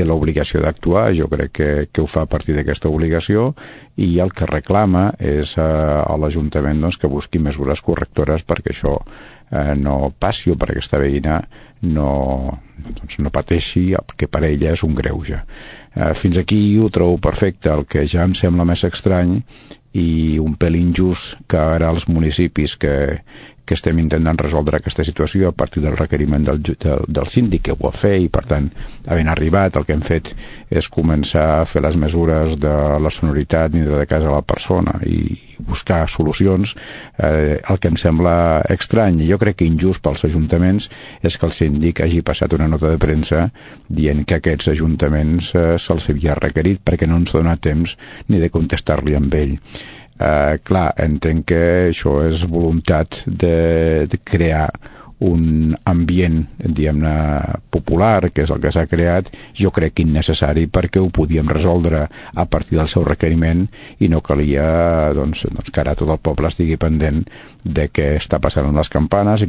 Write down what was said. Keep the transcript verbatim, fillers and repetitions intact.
té l'obligació d'actuar, jo crec que, que ho fa a partir d'aquesta obligació, i el que reclama és eh, a l'Ajuntament doncs, que busqui mesures correctores perquè això eh, no passi o perquè aquesta veïna no, doncs, no pateixi el que per ella és un greuge. Eh, fins aquí ho trobo perfecte. El que ja em sembla més estrany i un pèl injust que ara els municipis que, que estem intentant resoldre aquesta situació a partir del requeriment del, del, del síndic, que ho va fer, i per tant, havent arribat, el que hem fet és començar a fer les mesures de la sonoritat ni de casa a la persona i buscar solucions. Eh, el que em sembla estrany, i jo crec que injust pels ajuntaments, és que el síndic hagi passat una nota de premsa dient que aquests ajuntaments eh, se'ls havia requerit perquè no ens dona temps ni de contestar-li amb ell. Uh, clar, entenc que això és voluntat de, de crear un ambient, diguem-ne, popular, que és el que s'ha creat, jo crec innecessari, perquè ho podíem resoldre a partir del seu requeriment i no calia doncs, doncs, que ara tot el poble estigui pendent de què està passant amb les campanes.